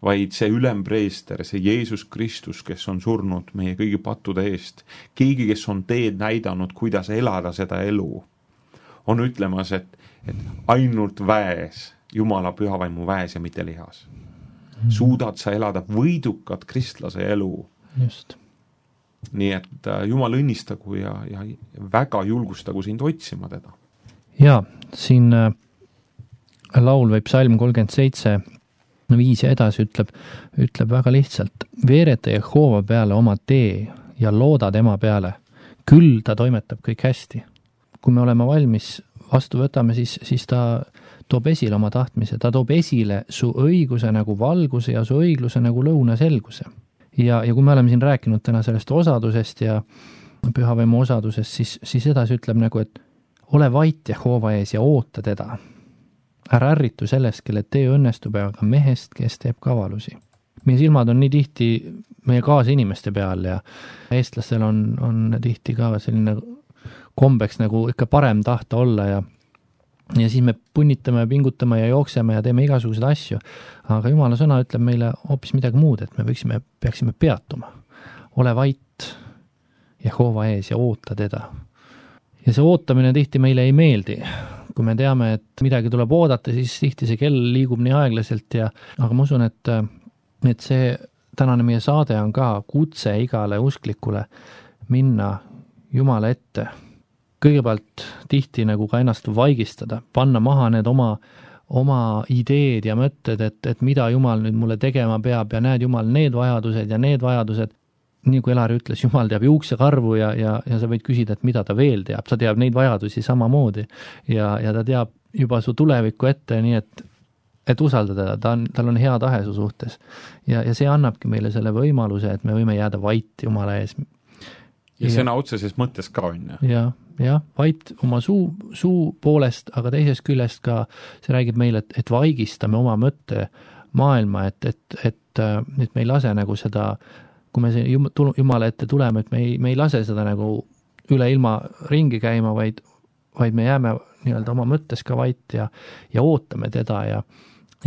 vaid see ülempreester, see Jeesus Kristus, kes on surnud meie kõigi pattude eest, keegi, kes on teed näidanud, kuidas elada seda elu, on ütlemas, et ainult väes, Jumala pühavaimu väes ja mitte lihas. Suudad sa elada võidukat kristlase elu. Just. Nii et Jumal õnnistagu ja väga julgustagu sind otsima teda. Ja, siin laul või psalm 37, 5 ja edasi ütleb väga lihtsalt, veereta Jehova peale oma tee ja looda tema peale, küll ta toimetab kõik hästi. Kui me oleme valmis vastu võtame, siis ta toob esile oma tahtmise, ta toob esile su õiguse nagu valguse ja su õigluse nagu lõuna selguse. Ja kui me oleme siin rääkinud täna sellest osadusest ja pühavaimu osadusest, siis edasi ütleb nagu, et ole vait Jehova ees ja oota teda. Ära ärritu sellest, kelle tee õnnestub, aga mehest, kes teeb kavalusi. Meie silmad on nii tihti meie kaasinimeste peal ja eestlastel on tihti ka selline kombeks nagu ikka parem tahta olla ja siis me punnitame ja pingutame ja jookseme ja teeme igasuguseid asju. Aga Jumala sõna ütleb meile hoopis midagi muud, et me peaksime peatuma. Ole vait Jehova ees ja oota teda. Ja see ootamine tihti meile ei meeldi. Kui me teame, et midagi tuleb oodata, siis tihti see kell liigub nii aeglaselt aga ma usun, et see tänane meie saade on ka kutse igale usklikule minna Jumala ette. Kõigepealt tihti nagu ka ennast vaigistada, panna maha need oma ideed ja mõtted, et mida Jumal nüüd mulle tegema peab ja näed Jumal need vajadused, nii kui Elari ütles, Jumal teab juuksekarvu ja sa võid küsida, et mida ta veel teab, ta teab neid vajadusi samamoodi ja ta teab juba su tulevikku ette, nii et usaldada, tal on hea tahe su suhtes ja see annabki meile selle võimaluse, et me võime jääda vait Jumala ees. Ja sõna otseses mõttes ka on. Ja, vait oma suu poolest, aga teisest küljest ka see räägib meile, et vaigistame oma mõtte maailma, et me ei lase nagu seda, kui me Jumala ette tuleme, et me ei lase seda nagu üle ilma ringi käima, vaid me jääme nii-öelda oma mõttes ka vait ja ootame teda ja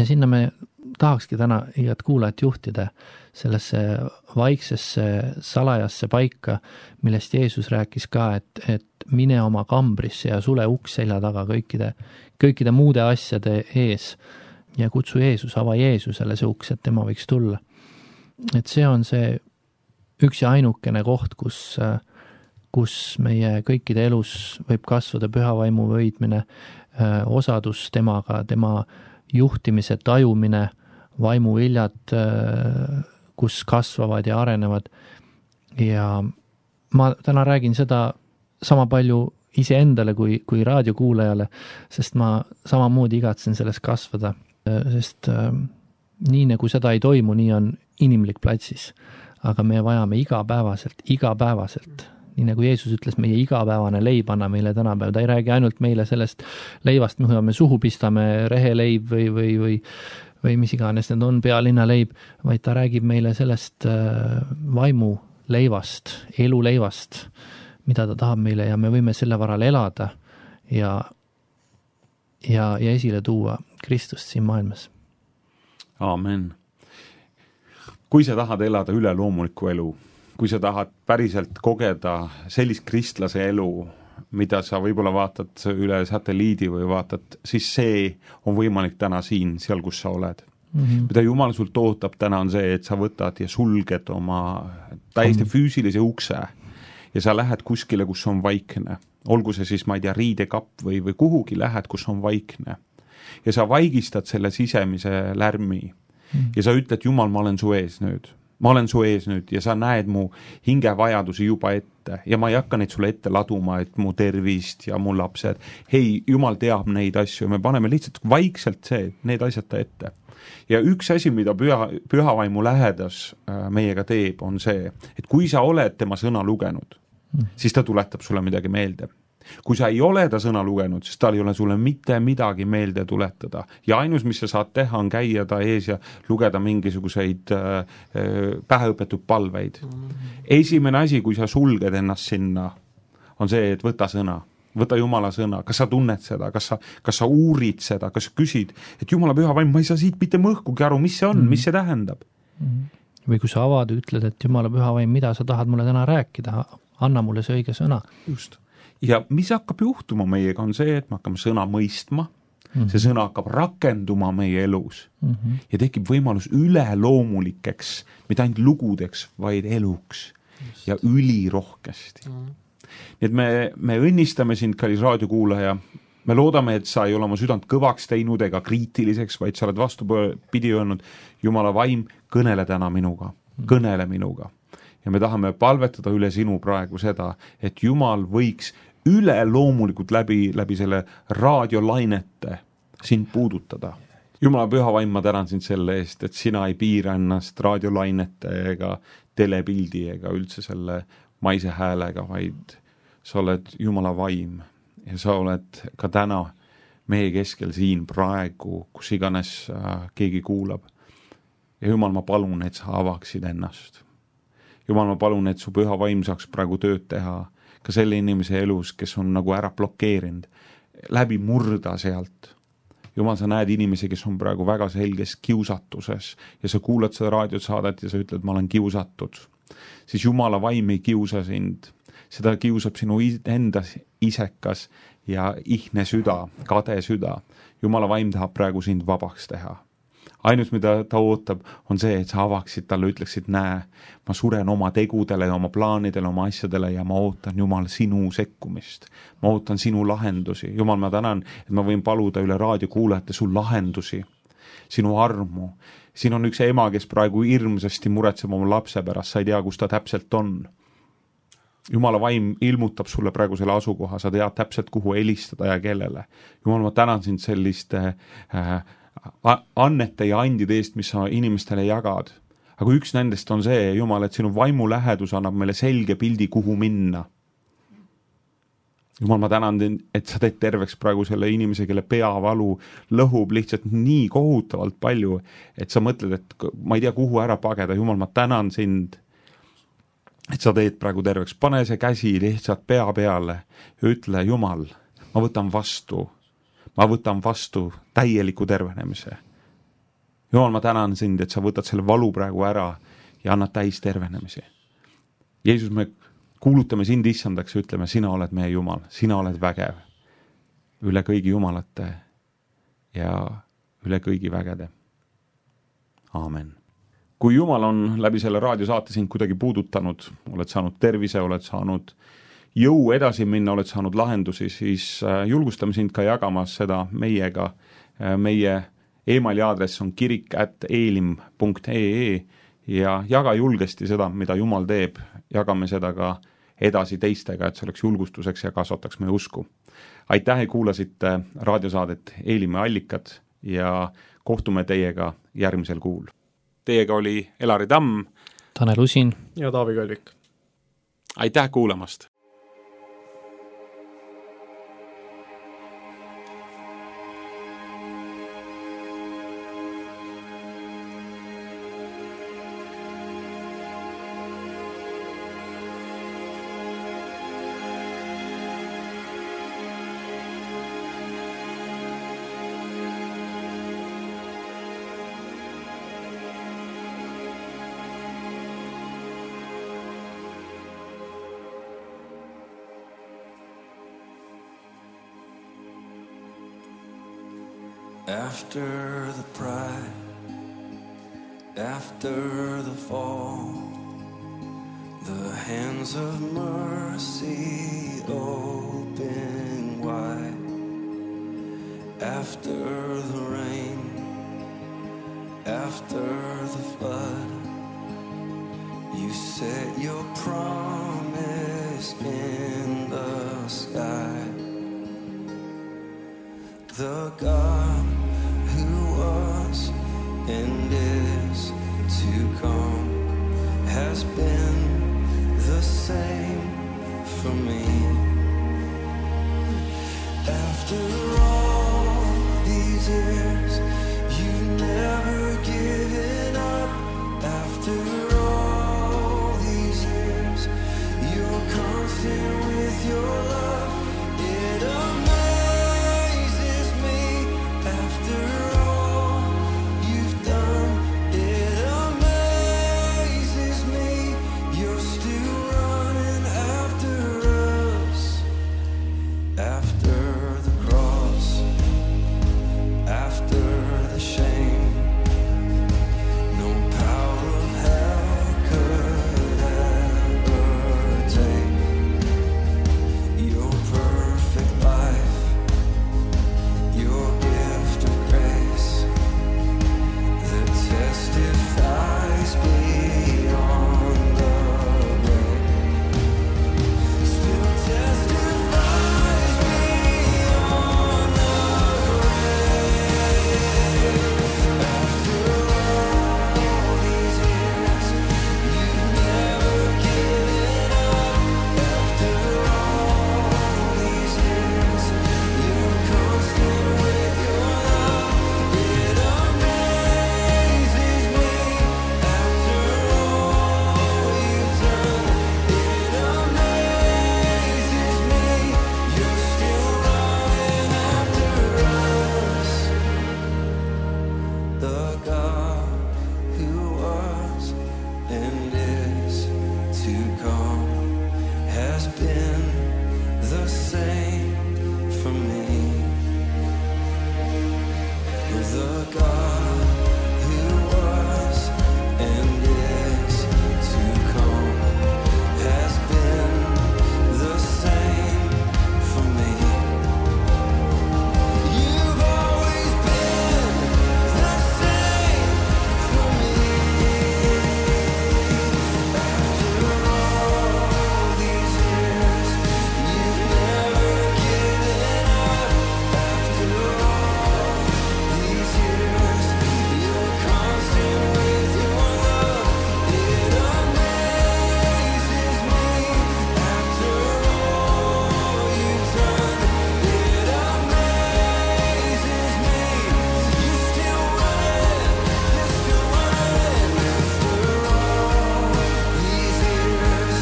sinna me tahakski täna igat kuulajat juhtida sellesse vaiksesse salajasse paika, millest Jeesus rääkis ka, et mine oma kambrisse ja sule uks selja taga kõikide muude asjade ees ja kutsu Jeesus, ava Jeesusele see uks, et tema võiks tulla. Et see on see üks ja ainukene koht, kus meie kõikide elus võib kasvada pühavaimu võidmine, osadus temaga, tema juhtimise tajumine, vaimuviljad, kus kasvavad ja arenevad. Ja ma täna räägin seda sama palju iseendale kui raadiokuulajale, sest ma samamoodi igatsen sellest kasvada, sest nii nagu seda ei toimu, nii on inimlik platsis. Aga me vajame igapäevaselt nii nagu Jeesus ütles, meie igapäevane leib anna meile tänapäev, ta ei räägi ainult meile sellest leivast, mida me suhu pistame, reheleib või mis iganes need on, pealinna leib, vaid ta räägib meile sellest vaimu leivast, eluleivast, mida ta tahab meile ja me võime selle varal elada ja esile tuua Kristust siin maailmas. Aamen. Kui sa tahad elada üleloomulikku elu, kui sa tahad päriselt kogeda sellist kristlase elu, mida sa võib-olla vaatad üle satelliidi või vaatad, siis see on võimalik täna siin, seal kus sa oled. Mida Jumal sult ootab täna on see, et sa võtad ja sulged oma täiesti füüsilise ukse ja sa lähed kuskile, kus on vaikne. Olgu see siis, ma ei tea, riidekapp või kuhugi lähed, kus on vaikne. Ja sa vaigistad selle sisemise lärmi ja sa ütled, Jumal, ma olen su ees nüüd. Ma olen su ees nüüd ja sa näed mu hingevajadusi juba ette ja ma ei hakka neid sulle ette laduma, et mu tervist ja mu lapsed. Hei, Jumal teab neid asju ja me paneme lihtsalt vaikselt need asjad ta ette. Ja üks asi, mida pühavaimu lähedas meiega teeb, on see, et kui sa oled tema sõna lugenud, siis ta tuletab sulle midagi meelde. Kui sa ei ole ta sõna lugenud, siis tal ei ole sulle mitte midagi meelde tuletada. Ja ainus, mis sa saad teha, on käia ta ees ja lugeda mingisuguseid päheõpetud palveid. Esimene asi, kui sa sulged ennast sinna, on see, et võta sõna. Võta Jumala sõna. Kas sa tunned seda? Kas sa uurid seda? Kas sa küsid, et Jumala püha vaim, ma ei saa siit mitte mõhkugi aru, mis see on, mis see tähendab? Või kui sa avad, ütled, et Jumala püha vaim, mida sa tahad mulle täna rääkida? Anna mulle see õige sõna. Just. Ja mis hakkab juhtuma meiega on see, et me hakkame sõna mõistma, see sõna hakkab rakenduma meie elus ja tekib võimalus üleloomulikeks, mitte ainult lugudeks, vaid eluks ja ülirohkesti. Nii et me õnnistame sind, kallis raadiokuulaja, me loodame, et sa ei ole oma südant kõvaks teinud ega kriitiliseks, vaid sa oled vastupidi öelnud, Jumala vaim, kõnele täna minuga, kõnele minuga. Ja me tahame palvetada üle sinu praegu seda, et Jumal võiks üleloomulikult läbi selle raadiolainete sind puudutada. Jumala püha vaim, ma tänan sind selle eest, et sina ei piira ennast raadiolainete ega telepildi ega üldse selle maise häälega, vaid sa oled Jumala vaim ja sa oled ka täna meie keskel siin praegu, kus iganes keegi kuulab. Ja Jumal, ma palun, et sa avaksid ennast. Jumal, ma palun, et su püha vaim saaks praegu tööd teha ka selle inimese elus, kes on nagu ära blokeerinud, läbi murda sealt. Jumal, sa näed inimesi, kes on praegu väga selges kiusatuses ja sa kuulad seda raadiosaadet ja sa ütled, ma olen kiusatud. Siis Jumala vaim ei kiusa sind. Seda kiusab sinu enda isekas ja ihne süda, kade süda. Jumala vaim tahab praegu sind vabaks teha. Ainus, mida ta ootab, on see, et sa avaksid talle, ütleksid, näe, ma suren oma tegudele, oma plaanidele, oma asjadele ja ma ootan, Jumal, sinu sekkumist. Ma ootan sinu lahendusi. Jumal, ma tänan, et ma võin paluda üle raadiokuulajate su lahendusi, sinu armu. Siin on üks ema, kes praegu hirmsasti muretseb oma lapse pärast, sa ei tea, kus ta täpselt on. Jumala vaim ilmutab sulle praegu selle asukoha, sa tead täpselt, kuhu helistada ja kellele. Jumal, ma tänan sind selliste annete ja andide eest, mis sa inimestele jagad. Aga üks nendest on see, Jumal, et sinu vaimu lähedus annab meile selge pildi, kuhu minna. Jumal, ma tänan, et sa teed terveks praegu selle inimese, kelle peavalu lõhub lihtsalt nii kohutavalt palju, et sa mõtled, et ma ei tea, kuhu ära pageda. Jumal, ma tänan sind, et sa teed praegu terveks. Pane see käsi lihtsalt pea peale ja ütle, Jumal, ma võtan vastu täieliku tervenemise. Jumal, ma tänan sind, et sa võtad selle valu praegu ära ja annad täis tervenemise. Jeesus, me kuulutame sind issandaks ja ütleme, sina oled meie Jumal, sina oled vägev üle kõigi jumalate ja üle kõigi vägede. Aamen. Kui Jumal on läbi selle raadiosaate sind kuidagi puudutanud, oled saanud tervise, oled saanud jõu edasi minna, oled saanud lahendusi, siis julgustame sind ka jagamas seda meiega. Meie emaili aadress on kirik@eelim.ee ja jaga julgesti seda, mida Jumal teeb. Jagame seda ka edasi teistega, et see oleks julgustuseks ja kasvataks meie usku. Aitäh, et kuulasite raadiosaadet Eelime allikad ja kohtume teiega järgmisel kuul. Teiega oli Elari Tamm, Tanel Usin ja Taavi Kalvik. aitäh kuulamast! After the pride, after the fall, the hands of mercy open wide. After the rain, after the flood, you set your promise in the sky. The God who was and is to come has been the same for me. After all these years, you've never given up. After all these years, you're constant with your love. It amazes me. After all you've done, it amazes me. You're still running after us. After the cross, after the shame, no power of hell could ever take your perfect life, your gift of grace that testifies beyond the grave, still testifies beyond the grave. After all these years, you've never given up. After all these years, you're constant with your love. It amazes me. After all you've done, it amazes me. You're still running after us. The God who was and is to come has been the same for me. The God who was and is to come has been the same for me. You've always been the same for me. After all these years, you've never given up. After all these years, you're constant with your love. It amazes me. After all you've done, it amazes me. You're still running. After all these years,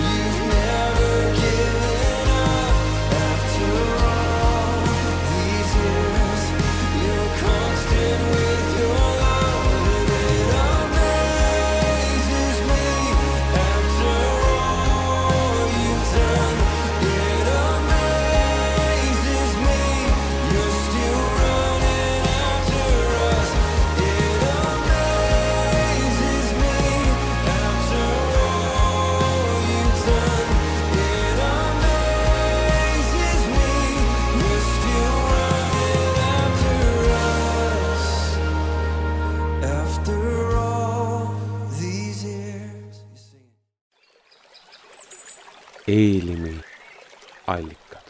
you've never given up. After all these years, you're constant with your love. It amazes me. After all you've done, it amazes me. You're still running after us. It amazes me. After all you've done, it amazes me. You're still running after us. After all these years. Eelimi allikad.